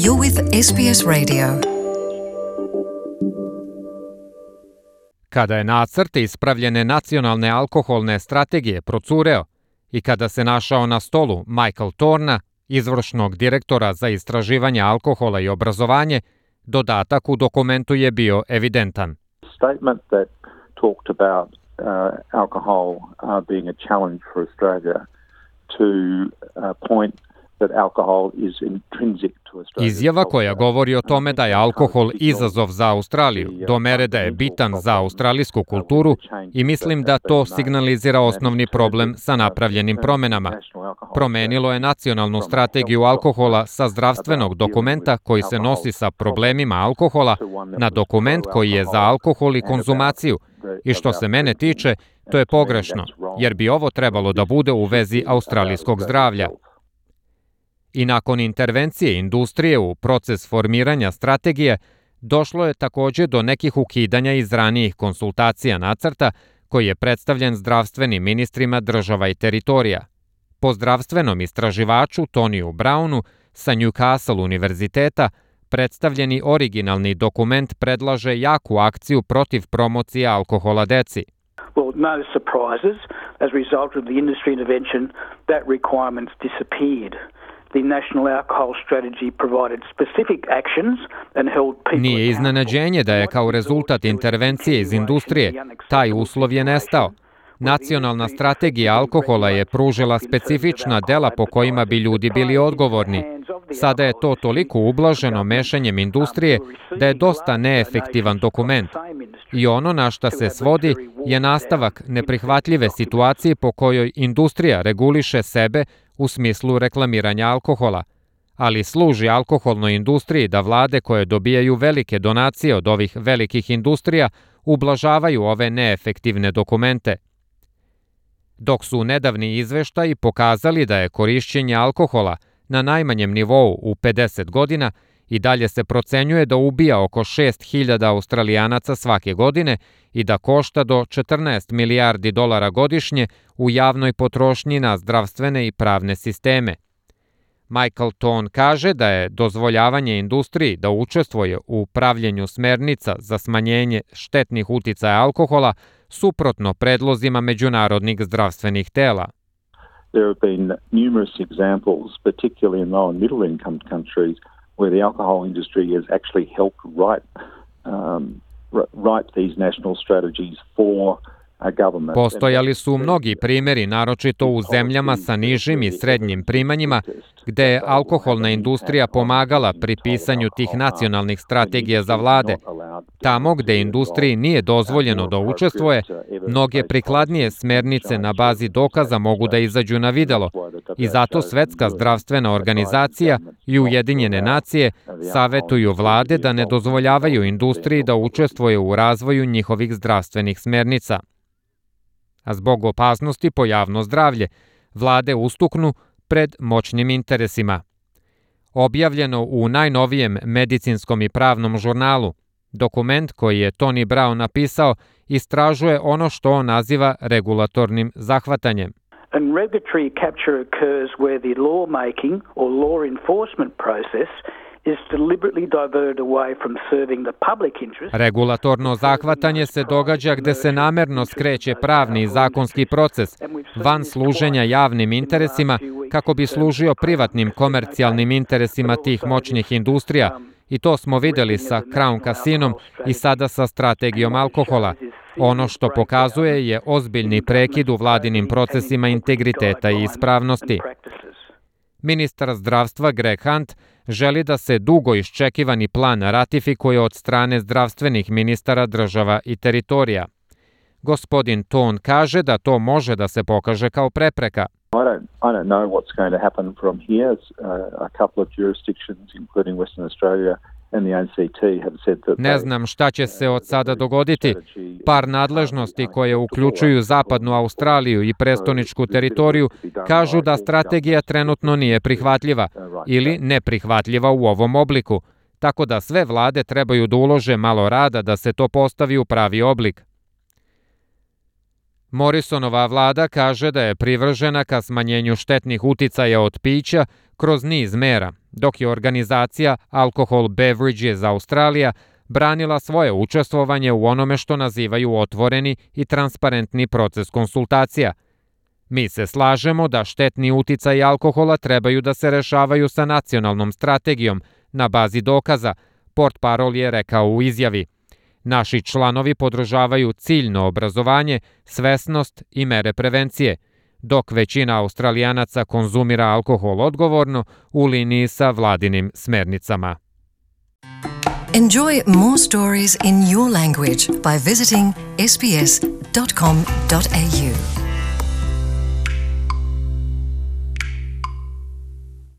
You're with SBS Radio. Kada je nacrt ispravljene nacionalne alkoholne strategije procureo i kada se našao na stolu Michael Thorna, izvršnog direktora za istraživanje alkohola i obrazovanje, dodatak u dokumentu je bio evidentan. Statement that talked about alcohol being a challenge for Australia to point that alcohol is intrinsic to Australia. Izjava koja govori o tome da je alkohol izazov za Australiju, do mere da je bitan za australijsku kulturu, i mislim da to signalizira osnovni problem sa napravljenim promenama. Promenilo je nacionalnu strategiju alkohola sa zdravstvenog dokumenta koji se nosi sa problemima alkohola na dokument koji je za alkohol i konzumaciju. I što se mene tiče, to je pogrešno, jer bi ovo trebalo da bude u vezi australijskog zdravlja. I nakon intervencije industrije u proces formiranja strategije, došlo je također do nekih ukidanja iz ranijih konsultacija nacrta koji je predstavljen zdravstvenim ministrima država i teritorija. Po zdravstvenom istraživaču Toniju Brownu sa Newcastle univerziteta, predstavljeni originalni dokument predlaže jaku akciju protiv promocije alkohola deci. Well, no surprises. As a result of the industry intervention, that requirement's disappeared. The National Alcohol Strategy provided specific actions and held people. Nije iznenađenje da je kao rezultat intervencije iz industrije taj uslov je nestao. Nacionalna strategija alkohola je pružila specifična dela po kojima bi ljudi bili odgovorni. Sada je to toliko ublaženo mešanjem industrije da je dosta neefektivan dokument. I ono na šta se svodi je nastavak neprihvatljive situacije po kojoj industrija reguliše sebe u smislu reklamiranja alkohola, ali služi alkoholnoj industriji da vlade koje dobijaju velike donacije od ovih velikih industrija ublažavaju ove neefektivne dokumente. Dok su nedavni izveštaji pokazali da je korišćenje alkohola na najmanjem nivou u 50 godina, i dalje se procenjuje da ubija oko 6.000 Australijanaca svake godine i da košta do 14 milijardi dolara godišnje u javnoj potrošnji na zdravstvene i pravne sisteme. Michael Thorn kaže da je dozvoljavanje industriji da učestvuje u pravljenju smernica za smanjenje štetnih uticaja alkohola suprotno predlozima međunarodnih zdravstvenih tela. There have been numerous examples, particularly in low and middle income countries, where the alcohol industry has actually helped write these national strategies for a government. Postojali su mnogi primjeri, naročito u zemljama sa nižim i srednjim primanjima, gde je alkoholna industrija pomagala pri pisanju tih nacionalnih strategija za vlade. Tamo gde industriji nije dozvoljeno da učestvuje, mnoge prikladnije smernice na bazi dokaza mogu da izađu na videlo, i zato Svetska zdravstvena organizacija i Ujedinjene nacije savetuju vlade da ne dozvoljavaju industriji da učestvuje u razvoju njihovih zdravstvenih smernica. A zbog opasnosti po javno zdravlje, vlade ustuknu pred moćnim interesima. Objavljeno u najnovijem medicinskom i pravnom žurnalu, dokument koji je Tony Brown napisao istražuje ono što on naziva regulatornim zahvatanjem. And regulatory capture occurs where the lawmaking or law enforcement process is deliberately diverted away from serving the public interest. Regulatorno zahvatanje se događa gde se namerno skreće pravni i zakonski proces van služenja javnim interesima kako bi služio privatnim komercijalnim interesima tih moćnih industrija, i to smo videli sa Crown Casinom i sada sa strategijom alkohola. Ono što pokazuje je ozbiljni prekid u vladinim procesima integriteta i ispravnosti. Ministar zdravstva Greg Hunt želi da se dugo iščekivani plan ratifikuje od strane zdravstvenih ministara država i teritorija. Gospodin Thorn kaže da to može da se pokaže kao prepreka. I don't know what's going to happen from here. A couple of jurisdictions, including Western Australia and the ACT, have said that. Ne znam šta će se od sada dogoditi. Par nadležnosti koje uključuju zapadnu Australiju i prestoničku teritoriju kažu da strategija trenutno nije prihvatljiva ili neprihvatljiva u ovom obliku, tako da sve vlade trebaju da ulože malo rada da se to postavi u pravi oblik. Morrisonova vlada kaže da je privržena ka smanjenju štetnih uticaja od pića kroz niz mera, dok je organizacija Alcohol Beverages Australia branila svoje učestvovanje u onome što nazivaju otvoreni i transparentni proces konsultacija. Mi se slažemo da štetni uticaji alkohola trebaju da se rešavaju sa nacionalnom strategijom na bazi dokaza, portparol je rekao u izjavi. Naši članovi podržavaju ciljno obrazovanje, svesnost i mere prevencije, dok većina Australijanaca konzumira alkohol odgovorno u liniji sa vladinim smernicama. Enjoy more stories in your language by visiting sbs.com.au.